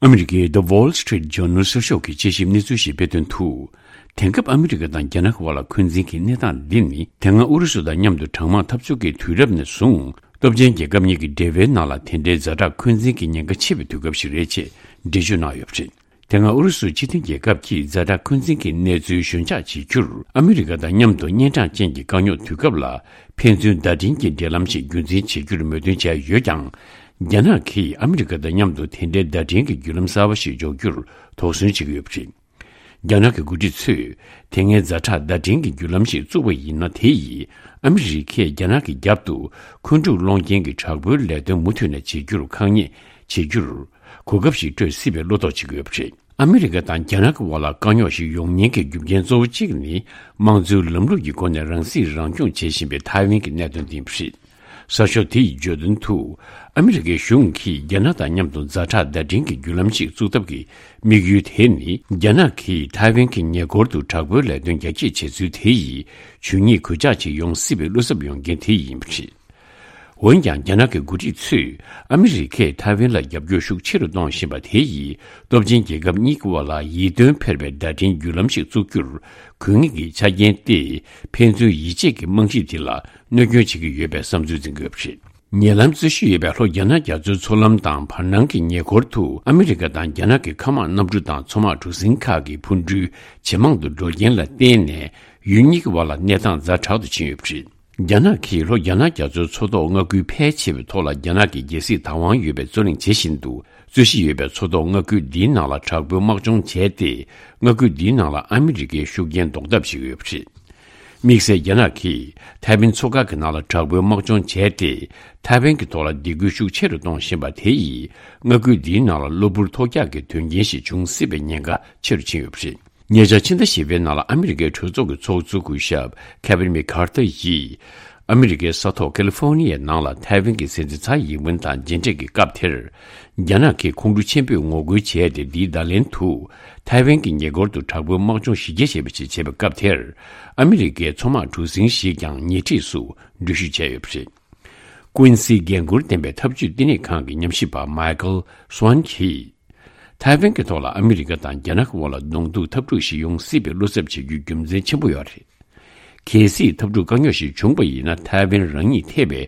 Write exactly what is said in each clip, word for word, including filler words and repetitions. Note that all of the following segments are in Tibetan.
ཨ་མི་རི་ཀའི་The Wall Street Journal་གསར་ཤོག་གིས་དཔྱད་ཞིབ་གནས་ཚུལ་ཞིག་སྤེལ་དོན་དུ། དེང་སྐབས་ཨ་མི་རི་ཀ་དང་རྒྱ་ནག་གི་དབར་ལ་འཁོན་འཛིན་གྱི་གནས་སྟངས་འདི་ནི། དེ་སྔ་ཨུ་རུ་སུ་དང་མཉམ་དུ་གྲང་དམག་འཐབ་རྩོད་ཀྱི་དུས་རབས་ནས་བཟུང་། སྟོབས་ཆེན་རྒྱལ་ཁབ་གཉིས་ཀྱི་འབྲེལ་བའི་ནང་ལ་དེ་འདྲའི་ཛ་དྲག་འཁོན་འཛིན་གྱི་ཉེན་ཁ་ཆེ་བའི་དུས་སྐབས་ཤིག་རེད་ཅེས་འགྲེལ་བརྗོད་གནང་ཡོད་པ་རེད། དེ་སྔ་ཨུ་རུ་སུ་སྤྱི་མཐུན་རྒྱལ་ཁབ་ཀྱིས་ཛ་དྲག་འཁོན་འཛིན་གྱི་གནས་ཚུལ་ཞོད་འཇགས་བྱེད་རྒྱུར་ཨ་མི་རི་ཀ་དང་མཉམ་དུ་གཉན་འཕྲང་ཅན་གྱི་དཀའ་རྙོག་དུས་སྐབས་ལ་ཕན་ཚུན་བརྡ་འཕྲིན་གྱི་འབྲེལ་ལམ་ཞིག་རྒྱུན་འཛིན་བྱེད་རྒྱུར་མོས་མཐུན་བྱས་ཡོད་ཀྱང་། རྒྱ་ནག་གིས་ཨ་མི་རི་ཀ་དང་མཉམ་དུ་དེ་འདྲའི་བརྡ་འཕྲིན་གྱི་བརྒྱུད་ལམ་གསར་བ་ཞིག་འཇོག་རྒྱུར་དོགས་ཟོན་བྱེད་ཀྱི་ཡོད་པ་རེད། རྒྱ་ནག་གི་འགོ་ཁྲིད་ཚོས་དེ་སྔའི་ཛ་དྲག་བརྡ་འཕྲིན་གྱི་བརྒྱུད་ལམ་ཞིག་བཙུགས་པ་ཡིན་ན། དེ་ཡིས་ཨ་མི་རི་ཀས་རྒྱ་ནག་གི་རྒྱབ་ཏུ་འཁོན་འཁྲུག་སློང་རྐྱེན་གྱི་དྲག་པོའི་ལས་དོན་མུ་མཐུད་ནས་བྱེད་རྒྱུར་ཁག་ཉེས་བྱེད་རྒྱུར་གོ་སྐབས་ཤིག་སྤྲོད་སྲིད་པའི་བློ་དོགས་བྱེད་ཀྱི་ཡོད་པ་རེད། ཨ་མི་རི་ཀ་དང་རྒྱ་ནག་གི་དབར་ལ་དཀའ་རྙོག་ཞིག་ཡོང་ཉེན་གྱི་རྒྱུ་རྐྱེན་གཙོ་བོ་གཅིག་ནི། དམངས་གཙོའི་ལམ་ལུགས་ཀྱི་སྒོ་ནས་རང་སྲིད་རང་སྐྱོང་བྱེད་བཞིན་པའི་ཐའེ་ཝན་གྱི་གནད་དོན་དེ་ཡིན་པ་རེད། གསར་ཤོག་དེ་ཡིས་བརྗོད་དོན་དུ། ཨ་མི་རི་ཀའི་གཞུང་གིས་རྒྱ་ནག་དང་མཉམ་དུ་ཛ་དྲག་བརྡ་འཕྲིན་གྱི་བརྒྱུད་ལམ་ཞིག་བཙུགས་ཐབས་ཀྱི་དམིགས་ཡུལ་དེ་ནི། རྒྱ་ནག་གིས་ཐའེ་ཝན་གྱི་ཉེ་འཁོར་དུ་དྲག་པོའི་ལས་དོན་རྒྱ་སྐྱེད་བྱེད་ཚུལ་དེ་ཡིས་ཇུས་ཉེས་གོད་ཆག་ཅིག་ཡོང་སྲིད་པའི་བློ་འཚབ་ཡོང་རྐྱེན་དེ་ཡིན་པ་རེད། འོན་ཀྱང་། རྒྱ་ནག་གི་འགོ་ཁྲིད་ཚོས་ཨ་མི་རི་ཀས་ཐའེ་ཝན་ལ་རྒྱབ་སྐྱོར་ཤུགས་ཆེ་རུ་གཏོང་བཞིན་པ་དེ་ཡིས་སྟོབས་ཆེན་རྒྱལ་ཁབ་གཉིས་ཀྱི་དབར་ལ་ཡིད་རྟོན་འཕེར་བའི་བརྡ་འཕྲིན་བརྒྱུད་ལམ་ཞིག་བཙུགས་རྒྱུར་དགོས་ངེས་ཀྱི་ཆ་རྐྱེན་ཏེ། ཕན་ཚུན་ཡིད་ཆེས་ཀྱི་རྨང་གཞི་དེ་ལ་གནོད་སྐྱོན་བྱེད་ཀྱི་ཡོད་པའི་བསམ་ཚུལ་འཛིན་དགོས་པ་རེད། ཉེ་ལམ་རྩོད་གཞི་ཡོད་པའི་ལྷོ་རྒྱ་ནག་རྒྱ་མཚོའི་མཚོ་ལམ་དང་བར་སྣང་གི་ཉེ་འཁོར་དུ་ཨ་མི་རི་ཀ་དང་རྒྱ་ནག་གི་མཁའ་དམག་གནམ་གྲུ་དང་མཚོ་དམག་གྲུ་གཟིངས་ཁག་གི་འཕུར་འགྲུལ་ཇེ་མང་དུ་འགྲོ་རྐྱེན་ལ་བརྟེན་ནས། ཡུལ་གཉིས་ཀྱི་དབར་ལ་གནས་སྟངས་ཛ་དྲག་ཏུ་ཕྱིན་ཡོད་པ་རེད། རྒྱ་ནག་གིས་ལྷོ་རྒྱ་ནག་རྒྱ་མཚོའི་མཚོ་ཐོག་མངའ་ཁུལ་ཕལ་ཆེ་བའི་ཐོག་ལ་རྒྱ་ནག་གི་རྒྱལ་སྲིད་བདག་དབང་ཡོད་པའི་རྩོད་གླེང་བྱེད་བཞིན་འདུག་རྩོད་གཞི་ཡོད་པའི་མཚོ་ཐོག་མངའ་ཁུལ་འདིའི་ནང་ལ་དྲག་པོའི་དམག་སྦྱོང་བྱས་ཏེ། མངའ་ཁུལ་འདིའི་ནང་ལ་ཨ་མི་རི་ཀའི་ཤུགས་རྐྱེན་ཟློག་ཐབས་བྱེད་ཀྱི་ཡོད་པ་རེད། དམིགས་བསལ་རྒྱ་ནག་གིས་ཐའེ་ཝན་མཚོ་ཁ་གི་ནང་ལ་དྲག་པོའི་དམག་སྦྱོང་བྱས་ཏེ། ཐའེ་ཝན་གྱི་ཐོག་ལ་སྡིགས་སྐུལ་ཤུགས་ཆེ་རུ་གཏོང་བཞིན་པ་དེ་ཡིས་མངའ་ཁུལ་འདིའི་ནང་ལ་གློ་བུར་ཐོལ་རྒྱག་གི་དོན་རྐྱེན་ཞིག་འབྱུང་སྲིད་པའི་ཉེན་ཁ་ཆེ་རུ་ཕྱིན་ཡོད་པ་རེད། ཉེ་ཆར་ཕྱི་ཟླ་བཞི་པའི་ནང་ལ་ཨ་མི་རི་ཀའི་གྲོས་ཚོགས་ཀྱི་ཚོགས་གཙོ་སྐུ་ཞབས་ཁེ་ཝིན་མེག་ཁར་ཐར་ཡིས། ཨ་མི་རི་ཀའི་ས་ཐོག་ཀེ་ལི་ཧྥོ་ནི་ཡའི་ནང་ལ་ཐའེ་ཝན་གྱི་སྲིད་འཛིན་ཚའེ་ཡིན་ཝེན་དང་མཇལ་འཕྲད་ཀྱི་སྐབས་དེར། རྒྱ་ནག་གིས་ཁོང་ཁྲོ་ཆེན་པོས་ངོ་རྒོལ་བྱས་ཏེ། འདིའི་བརྡ་ལན་དུ། ཐའེ་ཝན་གྱི་ཉེ་འཁོར་དུ་དྲག་པོའི་དམག་སྦྱོང་གཞི་རྒྱ་ཆེ་བ་ཞིག་བྱས་པའི་སྐབས་དེར། ཨ་མི་རི་ཀའི་མཚོ་དམག་གྲུ་གཟིངས་ཤིག་ཀྱང་ཉེ་འཁྲིས་སུ་འགྲུལ་བཞུད་བྱས་ཡོད་པ་རེད། ཀུན་སིའི་འགན་འཁུར་ལྡན་པའི་འཐབ་ཇུས་བསྟི་གནས་ཁང་གི་ཉམས་ཞིབ་པ་མའི་ཀལ་སུའན་གྱིས། ཐའེ་ཝན་གྱི་ཐོག་ལ་ཨ་མི་རི་ཀ་དང་རྒྱ་ནག་གི་དབར་ལ་གདོང་ཐུག་འཐབ་འཁྲུག་ཞིག་ཡོང་སྲིད་པའི་བློ་འཚབ་བྱེད་རྒྱུའི་རྒྱུ་མཚན་ཆེན་པོ་ཡོད་རེད། གལ་སྲིད་འཐབ་འཁྲུག་དཀའ་རྙོག་ཞིག་བྱུང་བ་ཡིན་ན། ཐའེ་ཝན་རང་ཉིད་ཐེ་བའི་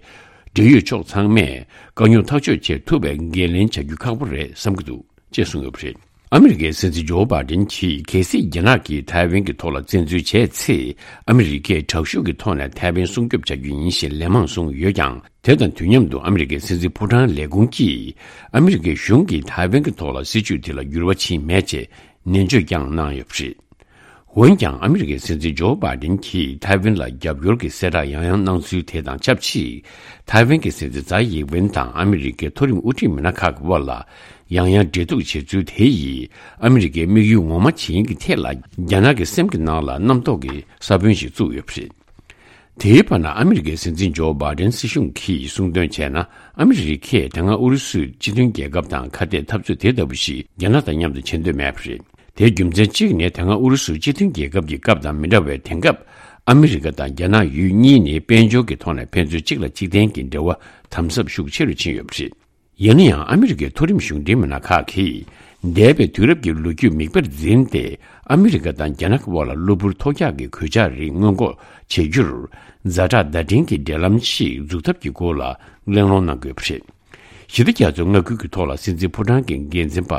འབྲེལ་ཡོད་ཕྱོགས་ཚང་མས་དཀའ་རྙོག་ཐག་གཅོད་བྱེད་ཐུབ་པའི་འགན་ལེན་བྱ་རྒྱུ་ཁག་པོ་རེད་བསམ་གྱི་འདུག་ཅེས་གསུངས་ཡོད་པ་རེད། ཨ་མི་རི་ཀའི་སྲིད་འཛིན་ཇོ་བྷའི་ཌེན་གྱིས། གལ་སྲིད་རྒྱ་ནག་གིས་ཐའེ་ཝན་གྱི་ཐོག་ལ་བཙན་འཛུལ་བྱས་ཚེ། ཨ་མི་རི་ཀས་དྲག་ཤུགས་ཀྱི་ཐོག་ནས་ཐའེ་ཝན་སྲུང་སྐྱོབ་བྱ་རྒྱུ་ཡིན་ཞེས་ལན་མང་གསུངས་ཡོད་ཀྱང་། དེ་དང་དུས་མཉམ་དུ་ཨ་མི་རི་ཀའི་སྲིད་འཛིན་ཕོ་བྲང་ལས་ཁུངས་ཀྱིས། ཨ་མི་རི་ཀའི་གཞུང་གིས་ཐའེ་ཝན་གྱི་ཐོག་ལ་སྲིད་བྱུས་དེ་ལ་འགྱུར་བ་ཕྱིན་མེད་ཅེས་ནན་བརྗོད་ཀྱང་གནང་ཡོད་པ་རེད། འོན་ཀྱང་། ཨ་མི་རི་ཀའི་སྲིད་འཛིན་ཇོ་བྷའི་ཌེན་གྱིས་ཐའེ་ཝན་ལ་རྒྱབ་སྐྱོར་གྱི་གསལ་བསྒྲགས་ཡང་ཡང་གནང་ཚུལ་དེ་དང་ཆབས་ཅིག་ཐའེ་ཝན་གྱི་སྲིད་འཛིན་ཚའེ་ཡིན་ཝེན་དང་ཨ་མི་རི་ཀའི་མཐོ་རིམ་དབུ་ཁྲིད་མི་སྣ་ཁག་གི་དབར་ལ་ཡང་ཡང་འབྲེལ་གཏུག་བྱེད་ཚུལ་དེ་ཡིས། ཨ་མི་རི་ཀའི་དམིགས་ཡུལ་ངོ་མ་ཇི་ཡིན་གྱི་ཐད་ལ། རྒྱ་ནག་གི་སེམས་ཀྱི་ནང་ལ་རྣམ་རྟོག་གི་ས་བོན་ཞིག་བཙུགས་ཡོད་པ་རེད། དེའི་བར་ན། ཨ་མི་རི་ཀའི་སྲིད་འཛིན་ཇོ་བྷའི་ཌེན་སྲིད་གཞུང་གིས་གསུངས་དོན་བྱས་ན། ཨ་མི་རི་ཀས་དེ་སྔ་ཨུ་རུ་སུས་སྤྱི་མཐུན་རྒྱལ་ཁབ་དང་ཁ་གཏད་འཐབ་རྩོད་དེ་ལྟ་བུ་ཞིག་རྒྱ་ནག་དང་མཉམ་དུ་བྱེད་འདོད་མེད་པ་རེད། དེའི་རྒྱུ་མཚན་གཅིག་ནི། དེ་སྔ་ཨུ་རུ་སུ་སྤྱི་མཐུན་རྒྱལ་ཁབ་ཀྱི་སྐབས་དང་མི་འདྲ་བའི། དེང་སྐབས་ཨ་མི་རི་ཀ་དང་རྒྱ་ནག་ཡུལ་གཉིས་ནི་དཔལ་འབྱོར་གྱི་ཐོག་ནས་ཕན་ཚུན་གཅིག་ལ་གཅིག་བརྟེན་གྱི་འབྲེལ་བ་དམ་ཟབ་ཤུགས་ཆེ་རུ་ཕྱིན་ཡོད་པ་རེད། ཡིན་ན་ཡང་། ཨ་མི་རི་ཀའི་མཐོ་རིམ་གཞུང་འབྲེལ་མི་སྣ་ཁག་གིས། འདས་པའི་དུས་རབས་ཀྱི་ལོ་རྒྱུས་མིག་དཔེར་འཛིན་ཏེ། ཨ་མི་རི་ཀ་དང་རྒྱ་ནག་གི་དབར་ལ་གློ་བུར་ཐོལ་རྒྱག་གི་གོད་ཆག་རིགས་སྔོན་འགོག་བྱེད་རྒྱུར། ཛ་དྲག་བརྡ་འཕྲིན་གྱི་འབྲེལ་ལམ་ཞིག་འཛུགས་ཐབས་ཀྱི་སྐོར་ལ་གླེང་སློང་གནང་དགོས་པ་རེད། ཞི་བདེ་རྒྱ་མཚོའི་མངའ་ཁུལ་གྱི་ཐོག་ལ་སྲིད་འཛིན་ཕོ་བྲང་གི་འགན་འཛིན་པ་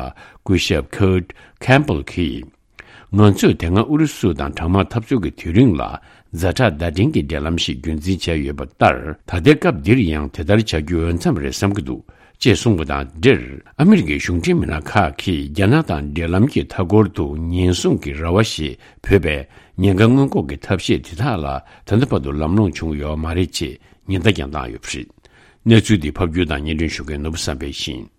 སྐུ་ཞབས་ཁར་ཊི་ཁེམ་པེལ་གྱིས། ང་ཚོས་དེ་སྔ་ཨུ་རུ་སུ་དང་གྲང་དམག་འཐབ་རྩོད་ཀྱི་དུས་རིང་ལ། ཛ་དྲག་བརྡ་འཕྲིན་གྱི་འབྲེལ་ལམ་ཞིག་རྒྱུན་འཛིན་བྱས་ཡོད་པ་ལྟར། ད་ལྟའི་སྐབས་འདིར་ཡང་དེ་ལྟར་བྱ་རྒྱུ་འོས་འཚམ་རེད་བསམ་གྱི་འདུག་ཅེས་གསུངས་པ་དང་འབྲེལ། ཨ་མི་རི་ཀའི་གཞུང་འབྲེལ་མི་སྣ་ཁག་གིས་རྒྱ་ནག་དང་འབྲེལ་ལམ་གྱི་མཐའ་འཁོར་དུ་ཉེན་སྲུང་གི་ར་བ་ཞེས་འབོད་པའི་ཉེན་ཁ་སྔོན་འགོག་གི་ཐབས་ཤེས་དེ་དག་ལ་ད་ལྟ་བར་དུ་ལམ་ལྷོང་བྱུང་ཡོད་མ་རེད་ཅེས་ཉེན་བརྡ་ཀྱང་བཏང་ཡོད་པ་རེད། གནས་ཚུལ་འདི་ཕབ་སྒྱུར་དང་སྙན་སྒྲོན་ཞུ་མཁན་ནོར་བུ་བསམ་འཕེལ་ཡིན།